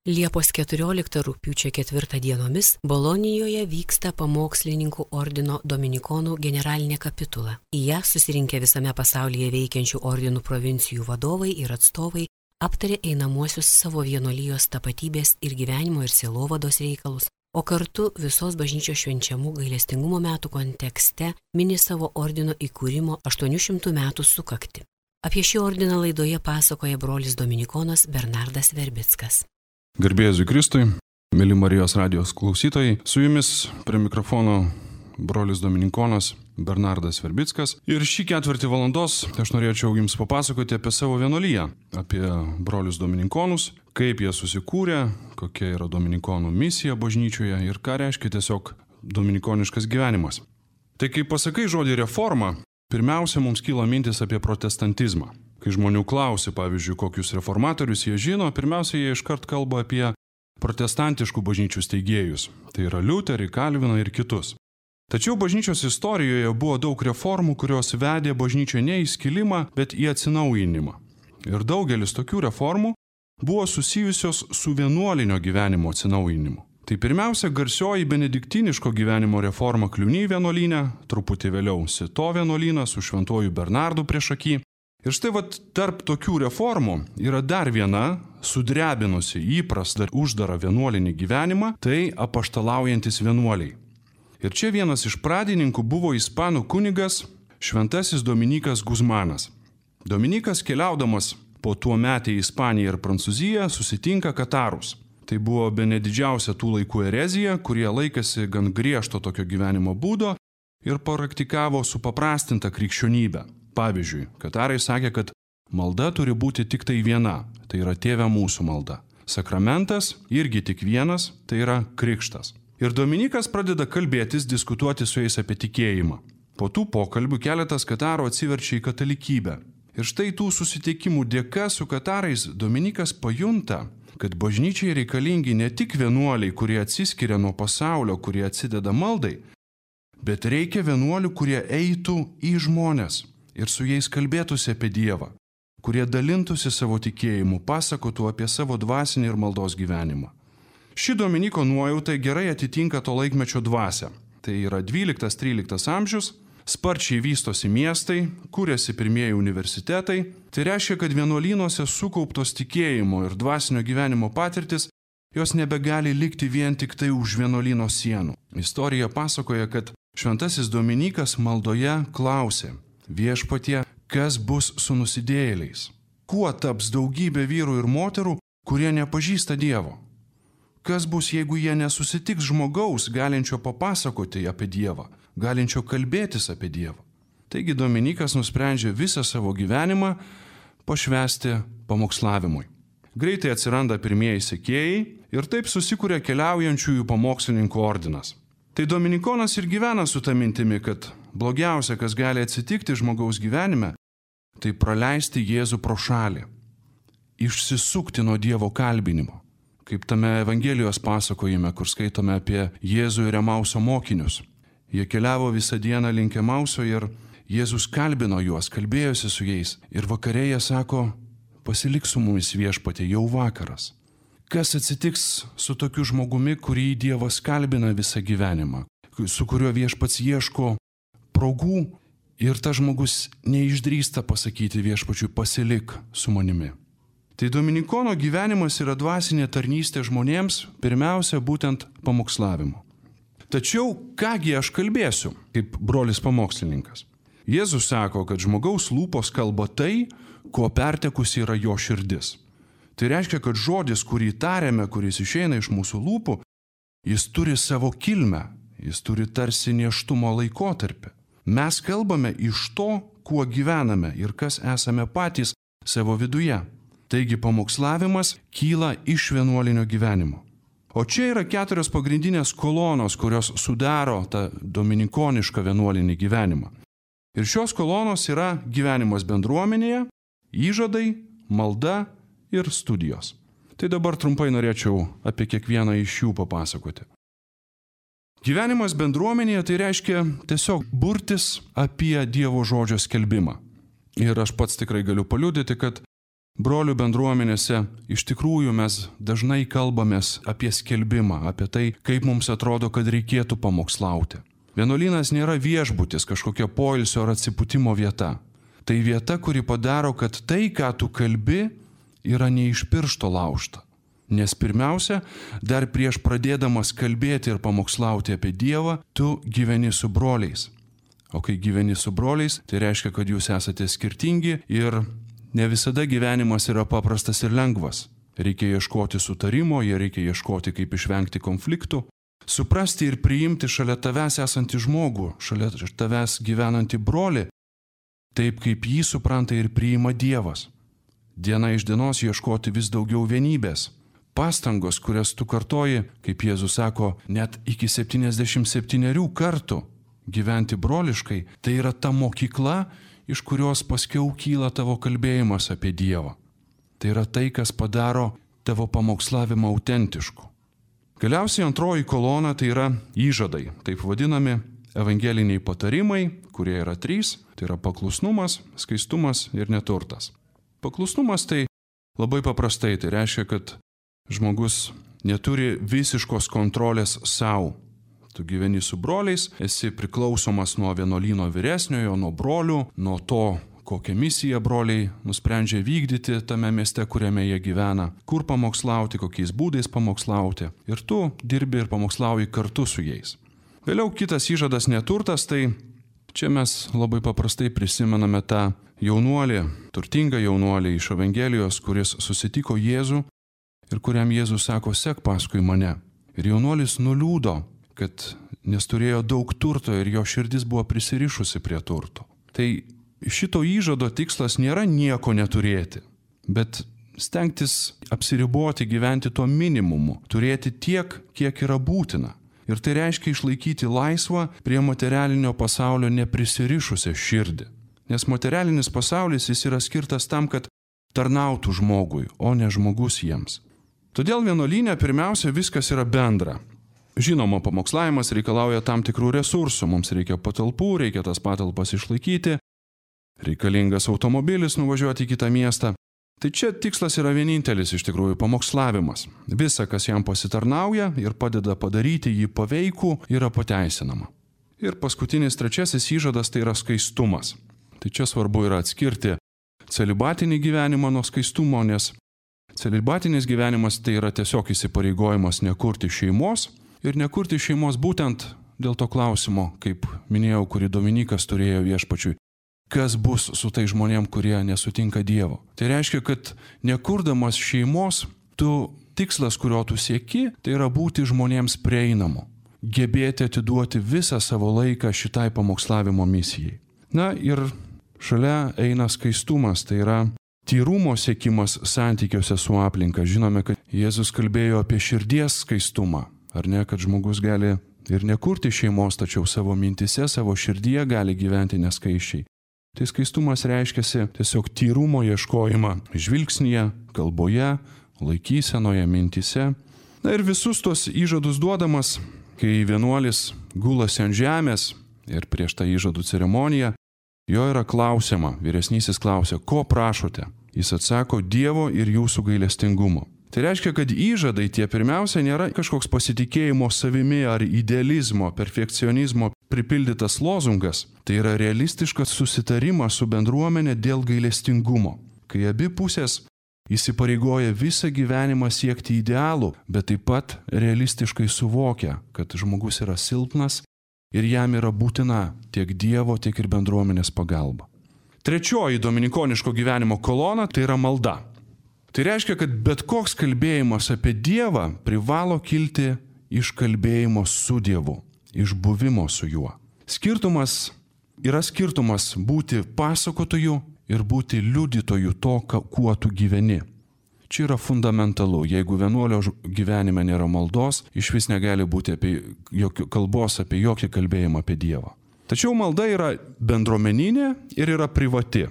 Liepos 14 rugpjūčio 4 dienomis Bolonijoje vyksta pamokslininkų ordino dominikonų generalinė kapitula. Į ją susirinkę visame pasaulyje veikiančių ordinų provincijų vadovai ir atstovai aptarė einamuosius savo vienuolijos tapatybės ir gyvenimo ir sielovados reikalus, o kartu visos bažnyčios švenčiamų gailestingumo metų kontekste mini savo ordino įkūrimo 800 metų sukaktį. Apie šį ordiną laidoje pasakoja brolis dominikonas Bernardas Verbickas. Garbėjai Jėzui Kristui, mėly Marijos radijos klausytojai, su jumis prie mikrofono brolis dominikonas Bernardas Verbickas. Ir šį ketvirtį valandos aš norėčiau jums papasakoti apie savo vienuoliją, apie brolius dominikonus, kaip jie susikūrė, kokia yra dominikonų misija bažnyčioje ir ką reiškia tiesiog dominikoniškas gyvenimas. Tai kai pasakai žodį reforma, pirmiausia mums kyla mintis apie protestantizmą. Kai žmonių klausia, pavyzdžiui, kokius reformatorius jie žino, pirmiausia, jie iškart kalba apie protestantiškų bažnyčių steigėjus. Tai yra Liuterį, Kalviną ir kitus. Tačiau bažnyčios istorijoje buvo daug reformų, kurios vedė bažnyčią ne į skilimą, bet į atsinaujinimą. Ir daugelis tokių reformų buvo susijusios su vienuolinio gyvenimo atsinaujinimu. Tai pirmiausia, garsioji benediktiniško gyvenimo reforma Kliuny vienuolyne, truputį vėliau Sito vienuolynas su šventuoju Bernardu priešaky. Ir štai tarp tokių reformų yra dar viena, sudrebinusi įprastą uždarą vienuolinį gyvenimą, tai apaštalaujantis vienuoliai. Ir čia vienas iš pradininkų buvo ispanų kunigas šventasis Dominikas Guzmanas. Dominikas keliaudamas po tuo metę į Ispaniją ir Prancūziją susitinka katarus. Tai buvo bene didžiausia tų laikų erezija, kurie laikėsi gan griežto tokio gyvenimo būdo ir praktikavo supaprastintą krikščionybę. Pavyzdžiui, katarai sakė, kad malda turi būti tik tai viena, tai yra Tėve mūsų malda. Sakramentas irgi tik vienas, tai yra krikštas. Ir Dominikas pradeda kalbėtis, diskutuoti su jais apie tikėjimą. Po tų pokalbių keletas katarų atsiverčia į katalikybę. Ir štai tų susitikimų dėka su katarais Dominikas pajunta, kad bažnyčiai reikalingi ne tik vienuoliai, kurie atsiskiria nuo pasaulio, kurie atsideda maldai, bet reikia vienuolių, kurie eitų į žmones ir su jais kalbėtųsi apie Dievą, kurie dalintųsi savo tikėjimu, pasakotų apie savo dvasinį ir maldos gyvenimą. Ši Dominiko nuojauta gerai atitinka to laikmečio dvasią. Tai yra 12-13 amžius, sparčiai vystosi miestai, kūrėsi pirmieji universitetai. Tai reiškia, kad vienuolynuose sukauptos tikėjimo ir dvasinio gyvenimo patirtis, jos nebegali likti vien tik tai už vienuolyno sienų. Istorija pasakoja, kad šventasis Dominikas maldoje klausė: Viešpatie, kas bus su nusidėjėliais? Kuo taps daugybė vyrų ir moterų, kurie nepažįsta Dievo? Kas bus, jeigu jie nesusitiks žmogaus, galinčio papasakoti apie Dievą, galinčio kalbėtis apie Dievą? Taigi Dominikas nusprendžia visą savo gyvenimą pašvęsti pamokslavimui. Greitai atsiranda pirmieji sekėjai ir taip susikuria keliaujančiųjų pamokslininkų ordinas. Tai dominikonas ir gyvena su ta mintimi, kad blogiausia, kas gali atsitikti žmogaus gyvenime, tai praleisti Jėzų pro šalį, išsisukti nuo Dievo kalbinimo. Kaip tame Evangelijos pasakojime, kur skaitome apie Jėzų ir Emauso mokinius. Jie keliavo visą dieną link Emauso ir Jėzus kalbino juos, kalbėjosi su jais. Ir vakare jie sako: pasilik su mumis Viešpatie, jau vakaras. Kas atsitiks su tokiu žmogumi, kurį Dievas kalbina visą gyvenimą, su kuriuo Viešpats ieško progų ir tas žmogus neišdrįsta pasakyti Viešpačiui: pasilik su manimi. Tai dominikono gyvenimas yra dvasinė tarnystė žmonėms, pirmiausia būtent pamokslavimu. Tačiau kągi aš kalbėsiu, kaip brolis pamokslininkas? Jėzus sako, kad žmogaus lūpos kalba tai, ko pertekusi yra jo širdis. Tai reiškia, kad žodis, kurį tariame, kuris išeina iš mūsų lūpų, jis turi savo kilmę, jis turi tarsi nėštumo laikotarpį. Mes kalbame iš to, kuo gyvename ir kas esame patys savo viduje. Taigi pamokslavimas kyla iš vienuolinio gyvenimo. O čia yra 4 pagrindinės kolonos, kurios sudaro tą dominikonišką vienuolinį gyvenimą. Ir šios kolonos yra gyvenimas bendruomenėje, įžadai, malda ir studijos. Tai dabar trumpai norėčiau apie kiekvieną iš jų papasakoti. Gyvenimas bendruomenėje tai reiškia tiesiog burtis apie Dievo žodžio skelbimą. Ir aš pats tikrai galiu paliudyti, kad brolių bendruomenėse iš tikrųjų mes dažnai kalbamės apie skelbimą, apie tai, kaip mums atrodo, kad reikėtų pamokslauti. Vienuolynas nėra viešbutis, kažkokia poilsio ar atsipūtimo vieta. Tai vieta, kuri padaro, kad tai, ką tu kalbi, yra ne iš piršto laužta. Nes pirmiausia, dar prieš pradėdamas kalbėti ir pamokslauti apie Dievą, tu gyveni su broliais. O kai gyveni su broliais, tai reiškia, kad jūs esate skirtingi ir ne visada gyvenimas yra paprastas ir lengvas. Reikia ieškoti sutarimo, reikia ieškoti, kaip išvengti konfliktų, suprasti ir priimti šalia tavęs esantį žmogų, šalia tavęs gyvenantį brolį, taip kaip jį supranta ir priima Dievas. Diena iš dienos ieškoti vis daugiau vienybės. Pastangos, kurias tu kartoji, kaip Jėzus sako, net iki 77 kartų gyventi broliškai, tai yra ta mokykla, iš kurios paskiau kyla tavo kalbėjimas apie Dievą. Tai yra tai, kas padaro tavo pamokslavimą autentišku. Galiausiai antroji kolona tai yra įžadai, taip vadinami evangeliniai patarimai, kurie yra 3, tai yra paklusnumas, skaistumas ir neturtas. Paklusnumas tai labai paprastai, tai reiškia, kad žmogus neturi visiškos kontrolės savo. Tu gyveni su broliais, esi priklausomas nuo vienuolyno vyresniojo, nuo brolių, nuo to, kokią misiją broliai nusprendžia vykdyti tame mieste, kuriame jie gyvena, kur pamokslauti, kokiais būdais pamokslauti. Ir tu dirbi ir pamokslauji kartu su jais. Vėliau kitas įžadas neturtas, tai čia mes labai paprastai prisimename tą jaunuolį, turtingą jaunuolį iš Evangelijos, kuris susitiko Jėzų ir kuriam Jėzus sako, sek paskui mane. Ir jaunuolis nuliūdo, kad nes turėjo daug turto ir jo širdis buvo prisirišusi prie turto. Tai šito įžado tikslas nėra nieko neturėti, bet stengtis apsiriboti, gyventi tuo minimumu, turėti tiek, kiek yra būtina. Ir tai reiškia išlaikyti laisvą prie materialinio pasaulio neprisirišusią širdį. Nes materialinis pasaulis jis yra skirtas tam, kad tarnautų žmogui, o ne žmogus jiems. Todėl vienuolyne pirmiausia viskas yra bendra. Žinoma, pamokslavimas reikalauja tam tikrų resursų, mums reikia patalpų, reikia tas patalpas išlaikyti, reikalingas automobilis nuvažiuoti į kitą miestą. Tai čia tikslas yra vienintelis iš tikrųjų pamokslavimas. Visa, kas jam pasitarnauja ir padeda padaryti jį paveikų, yra pateisinama. Ir paskutinis trečiasis įžadas tai yra skaistumas. Tai čia svarbu yra atskirti celibatinį gyvenimą nuo skaistumo, nes celibatinis gyvenimas tai yra tiesiog įsipareigojimas nekurti šeimos ir nekurti šeimos būtent dėl to klausimo, kaip minėjau, kurį Dominikas turėjo viešpačiui. Kas bus su tai žmonėm, kurie nesutinka Dievo. Tai reiškia, kad nekurdamas šeimos, tikslas, kurio tu sieki, tai yra būti žmonėms prieinamu. Gebėti atiduoti visą savo laiką šitai pamokslavimo misijai. Na ir šalia eina skaistumas, tai yra tyrumo siekimas santykiuose su aplinka. Žinome, kad Jėzus kalbėjo apie širdies skaistumą. Ar ne, kad žmogus gali ir nekurti šeimos, tačiau savo mintise, savo širdyje gali gyventi neskaiščiai. Tai skaistumas reiškiasi tiesiog tyrumo ieškojimą žvilgsnyje, kalboje, laikysenoje, mintise. Na ir visus tos įžadus duodamas, kai vienuolis gulasi ant žemės ir prieš tą įžadų ceremoniją, jo yra klausiama, vyresnysis klausia, ko prašote? Jis atsako, Dievo ir jūsų gailestingumo. Tai reiškia, kad įžadai tie pirmiausia nėra kažkoks pasitikėjimo savimi ar idealizmo, perfekcionizmo pripildytas lozungas. Tai yra realistiškas susitarimas su bendruomenė dėl gailestingumo, kai abi pusės įsipareigoja visą gyvenimą siekti idealų, bet taip pat realistiškai suvokia, kad žmogus yra silpnas ir jam yra būtina tiek Dievo, tiek ir bendruomenės pagalba. Trečioji dominikoniško gyvenimo kolona tai yra malda. Tai reiškia, kad bet koks kalbėjimas apie Dievą privalo kilti iš kalbėjimo su Dievu, iš buvimo su juo. Skirtumas būti pasakotoju ir būti liudytoju to, kuo tu gyveni. Čia yra fundamentalu. Jeigu vienuolio gyvenime nėra maldos, išvis negali būti kalbos apie jokį kalbėjimą apie Dievą. Tačiau malda yra bendruomeninė ir yra privati.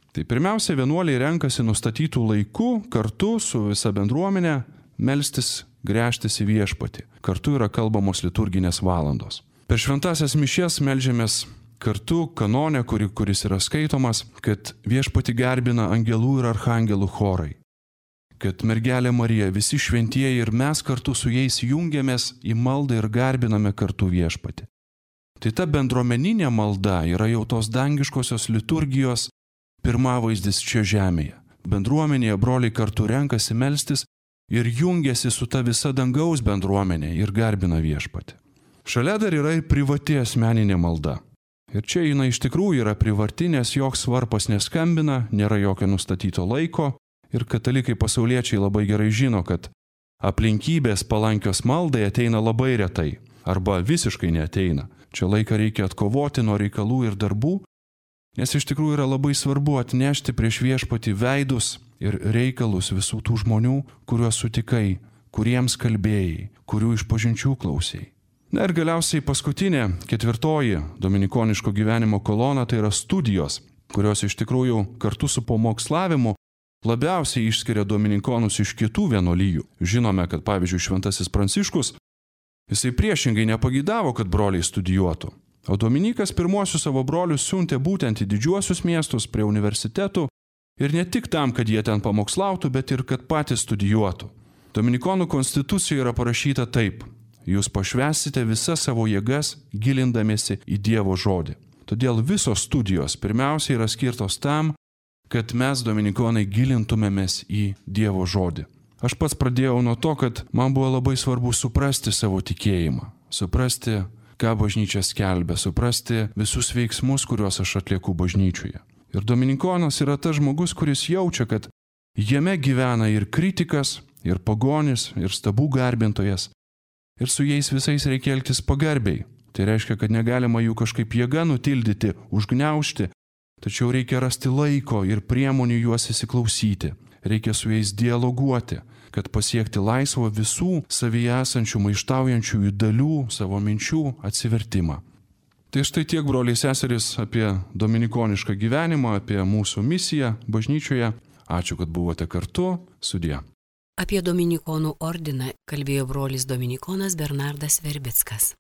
Tai pirmiausia, vienuoliai renkasi nustatytų laikų kartu su visa bendruomenė melstis, gręžtis į viešpatį. Kartu yra kalbamos liturginės valandos. Per šventąsias mišias meldžiamės kartu kanone, kuris yra skaitomas, kad viešpatį garbina angelų ir archangelų chorai, kad mergelė Marija, visi šventieji ir mes kartu su jais jungiamės į maldą ir garbiname kartu viešpatį. Tai ta bendruomeninė malda yra jau tos dangiškosios liturgijos pirmavaizdis čia žemėje. Bendruomenėje broliai kartu renkasi melstis ir jungiasi su ta visa dangaus bendruomenė ir garbina viešpatį. Šalia dar yra ir privati asmeninė malda. Ir čia jinai iš tikrųjų yra privati, nes joks varpas neskambina, nėra jokio nustatyto laiko ir katalikai pasauliečiai labai gerai žino, kad aplinkybės palankios maldai ateina labai retai arba visiškai neateina. Čia laiką reikia atkovoti nuo reikalų ir darbų, nes iš tikrųjų yra labai svarbu atnešti prieš viešpatį veidus ir reikalus visų tų žmonių, kuriuos sutikai, kuriems kalbėjai, kurių išpažinčių klausėjai. Na ir galiausiai paskutinė, 4 dominikoniško gyvenimo kolona, tai yra studijos, kurios iš tikrųjų kartu su pamokslavimu labiausiai išskiria dominikonus iš kitų vienuolijų. Žinome, kad pavyzdžiui Šventasis Pranciškus, jisai priešingai nepagidavo, kad broliai studijuotų. O Dominikas pirmuosius savo brolius siuntė būtent į didžiuosius miestus prie universitetų ir ne tik tam, kad jie ten pamokslautų, bet ir kad patys studijuotų. Dominikonų konstitucijoje yra parašyta taip: jūs pašvęsite visas savo jėgas, gilindamiesi į Dievo žodį. Todėl visos studijos pirmiausia yra skirtos tam, kad mes dominikonai gilintumėmės į Dievo žodį. Aš pats pradėjau nuo to, kad man buvo labai svarbu suprasti savo tikėjimą, suprasti, ką bažnyčia skelbia, suprasti visus veiksmus, kuriuos aš atlieku bažnyčioje. Ir dominikonas yra tas žmogus, kuris jaučia, kad jame gyvena ir kritikas, ir pagonis, ir stabų garbintojas. Ir su jais visais reikia elgtis pagarbiai. Tai reiškia, kad negalima jų kažkaip jėga nutildyti, užgniaužti, tačiau reikia rasti laiko ir priemonių juos įsiklausyti. Reikia su jais dialoguoti, kad pasiekti laisvo visų savyje esančių maištaujančiųjų dalių, savo minčių atsivertimą. Tai štai tiek, broliai seserys, apie dominikonišką gyvenimą, apie mūsų misiją bažnyčioje. Ačiū, kad buvote kartu. Sudie. Apie dominikonų ordiną kalbėjo brolis dominikonas Bernardas Verbickas.